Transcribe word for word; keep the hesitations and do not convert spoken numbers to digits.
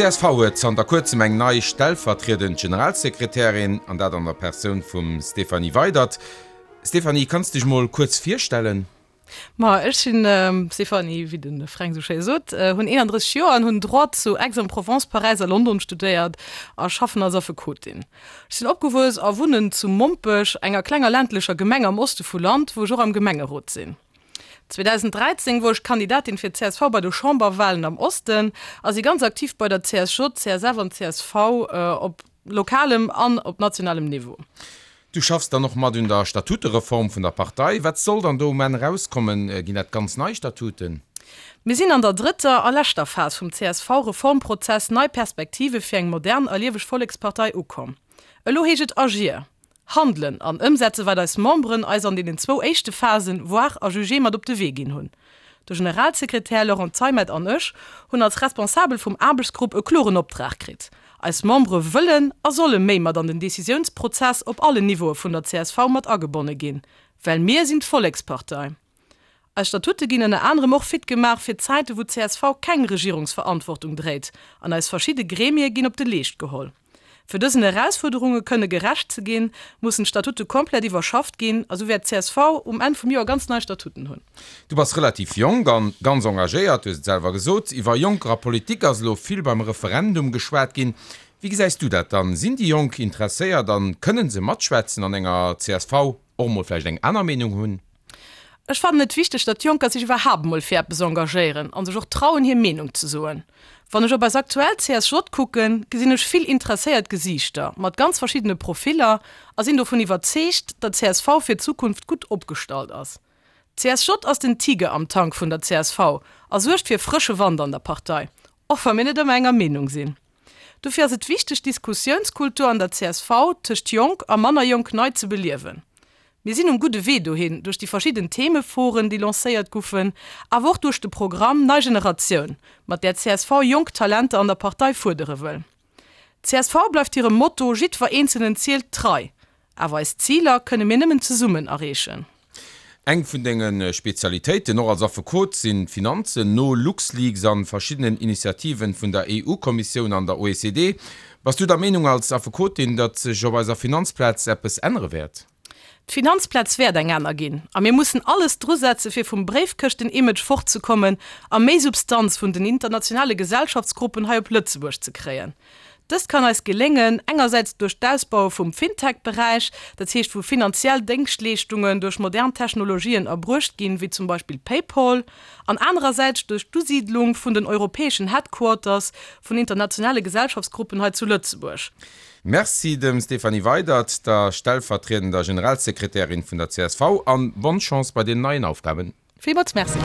D'C S V huet zanter kuerzem eng nei stellvertriedend Generalsekretärin, an dat an der Persoun vum Stéphanie Weydert. Stéphanie, kanns dech mol kuerz virstellen? Ma ech sinn Stéphanie, wéi de Fränk sou schéi sot, hunn eenandrësseg Joer an hunn Droit zu Aix-en-Provence, Paräis a London studéiert a schaffen als Affekotin. Ech sinn opgewuess a wunnen zu Mompech, enger klenger ländlecher Gemeng am Oste vu Land, wou ech och am Gemengerot sinn. zweedausendräizéng wor ech Kandidatin fir d'C S V bei de Chamberwahlen am Osten a si ganz aktiv bei der C S J, C S F an C S V op lokalem an op nationalem Niveau. Du schaffs dann och mat un der Statutereform vun der Partei. Wat soll dann do um Enn erauskommen? Ginn dat ganz nei Statuten? Mir sinn an der drëtter a leschter Phas vum C S V-Reformprozess Nei Perspektive fir eng modern a lieweg Vollekspartei ukomm. Elo heescht et agir, handelen an ëmsetze wat eis Memberen eis an deenen zwou éischte Phasen Voir a juger mat op de Wee ginn hunn. De Generalsekretär Laurent Zeimet an ech hunn als Responsabel vum Aarbechtsgrupp e kloren Optrag kritt, Eis Membere wëllen a solle méi mat an den Decisiounsprozess op allen Niveaue vun der C S V mat agebonne ginn, well mir sinn d'Vollekspartei. Eis Statute ginn ënner anerem och fit gemaach fir Zäite wou d'C S V keng Regierungsverantwortung dréit an eis verschidde Gremie ginn op de Leescht geholl. Fir dësen Erausfuerderunge kënne gerecht ze ginn, mussen d'Statute komplett iwwerschafft ginn a sou wäert d'C S V um Enn vum Joer ganz nei Statuten hunn. Du bass relativ jonk an ganz engagéiert, du hues et selwer gesot. Iwwer Jonker a Politik ass elo vill beim Referendum geschwat ginn. Wéi gesäis du dat dann? Sinn déi Jonk interesséiert an kënnen se matschwätzen an enger C S V, och mol vläicht eng aner Meenung hunn? Ech fannen et wichteg, datt Jonker sech iwwerhaapt mol fir eppes engagéieren an sech och trauen, hir Meenung ze soen. Wann ech op eis aktuell C S J kucken, gesinn ech vill interesséiert Gesiichter mat ganz verschiddene Profiller a sinn dovun iwwerzeegt, datt d'C S V fir d'Zukunft gutt opgestallt ass. D'C S J ass den Tiger am Tank vun der C S V a suergt fir frësche Wand an der Partei, och wa mir net ëmmer enger Meenung sinn. Dofir ass et wichteg, d'Diskussiounskultur an der C S V tëscht jonk a manner jonk nei ze beliewen. Mir sinn um gudde Wee dohin, duerch déi verschidden Themeforen, déi lancéiert goufen, awer och duerch de Programm Nei Generatioun, mat där d'C S V jonk Talenter an der Partei fuerdere wëll. C S V bleift hirem Motto Jiddwer Eenzelnen zielt trei, awer eis Ziler kënne mir nëmmen zesummen erreechen. Eng vun denge Spezialitéiten, och als Affekot, sinn d'Finanzen. No LuxLeaks an verschiddenen Initiativen vun der E U-Kommissioun an der O E C D, bass du der Meenung als Affekotin, datt sech op eiser Finanzplaz eppes ännere wäert? D'Finanzplaz wäert eng aner ginn a mir mussen alles drusetze fir vum Bréifkëschten-Image fortzekommen a méi Substanz vun den internationale Gesellschaftsgruppen hei op Lëtzebuerg ze kréien. Dëst kann eis geléngen, engersäits duerch d'Ausbaue vum Fintech-Beräich, dat heescht wou finanziell Déngschtleeschtungen duerch modern Technologien erbruecht ginn, wéi zum Beispill PayPal, an anerersäits duerch d'Usiidlung vun den europäeschen Headquarters vun internationale Gesellschaftsgruppen hei zu Lëtzebuerg. Merci dem Stéphanie Weydert, der stellvertriedender Generalsekretärin vun der C S V, an bonne Chance bei den neien Aufgaben. Villmools Merci.